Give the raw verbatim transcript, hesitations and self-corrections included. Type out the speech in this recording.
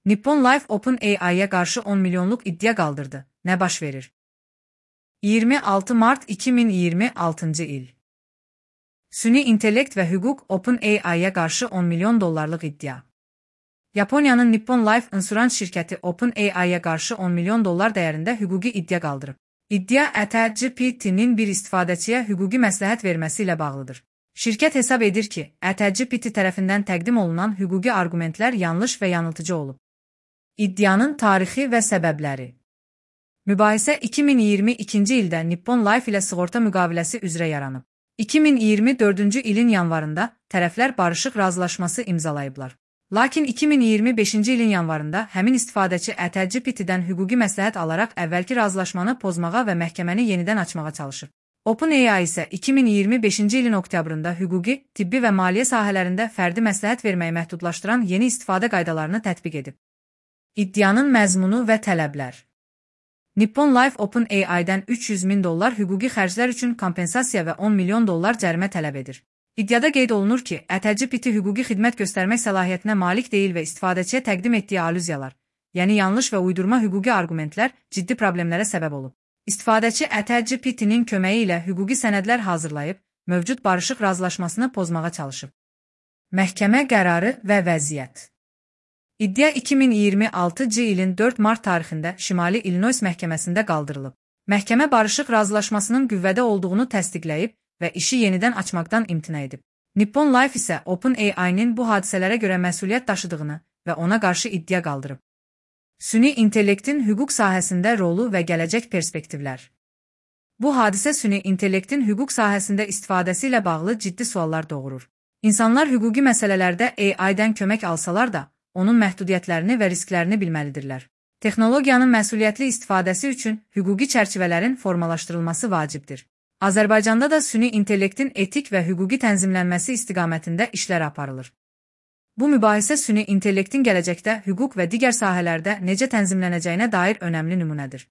Nippon Life OpenAI'ya qarşı on milyonluq iddia qaldırdı. Nə baş verir? iyirmi altı mart iki min iyirmi altıncı il. Süni intellekt və hüquq OpenAI'ya qarşı on milyon dollarlıq iddia. Yaponiyanın Nippon Life Insurance şirkəti OpenAI'ya qarşı on milyon dollar dəyərində hüquqi iddia qaldırıb. İddia ChatGPT-nin bir istifadəçiyə hüquqi məsləhət verməsi ilə bağlıdır. Şirkət hesab edir ki, ChatGPT tərəfindən təqdim olunan hüquqi arqumentlər yanlış və yanıltıcı olub. İddianın tarixi və səbəbləri. Mübahisə iki min iyirmi ikinci ildə Nippon Life ilə sığorta müqaviləsi üzrə yaranıb. iki min iyirmi dördüncü ilin yanvarında tərəflər barışıq razılaşması imzalayıblar. Lakin iki min iyirmi beşinci ilin yanvarında həmin istifadəçi ChatGPT-dən hüquqi məsləhət alaraq əvvəlki razılaşmanı pozmağa və məhkəməni yenidən açmağa çalışıb. OpenAI isə iki min iyirmi beşinci ilin oktyabrında hüquqi, tibbi və maliyyə sahələrində fərdi məsləhət verməyi məhdudlaşdıran yeni istifadə qaydalarını tətbiq edib. İddianın məzmunu və tələblər. Nippon Life OpenAI-dən üç yüz min dollar hüquqi xərclər üçün kompensasiya və on milyon dollar cərimə tələb edir. İddiada qeyd olunur ki, ChatGPT hüquqi xidmət göstərmək səlahiyyətinə malik deyil və istifadəçiyə təqdim etdiyi alüziyalar, yəni yanlış və uydurma hüquqi arqumentlər ciddi problemlərə səbəb olub. İstifadəçi ChatGPT-nin köməyi ilə hüquqi sənədlər hazırlayıb, mövcud barışıq razılaşmasını pozmağa çalışıb. Məhkəmə qərarı və vəziyyət. İddia iki min iyirmi altıncı ilin dörd mart tarixində Şimali İllinois məhkəməsində qaldırılıb. Məhkəmə barışıq razılaşmasının qüvvədə olduğunu təsdiqləyib və işi yenidən açmaqdan imtina edib. Nippon Life isə OpenAI-nin bu hadisələrə görə məsuliyyət daşıdığını və ona qarşı iddia qaldırıb. Süni intellektin hüquq sahəsində rolu və gələcək perspektivlər. Bu hadisə süni intellektin hüquq sahəsində istifadəsi ilə bağlı ciddi suallar doğurur. İnsanlar hüquqi məsələlərdə A I-dən kömək alsalar da, onun məhdudiyyətlərini və risklərini bilməlidirlər. Texnologiyanın məsuliyyətli istifadəsi üçün hüquqi çərçivələrin formalaşdırılması vacibdir. Azərbaycanda da süni intellektin etik və hüquqi tənzimlənməsi istiqamətində işlər aparılır. Bu mübahisə süni intellektin gələcəkdə hüquq və digər sahələrdə necə tənzimlənəcəyinə dair önəmli nümunədir.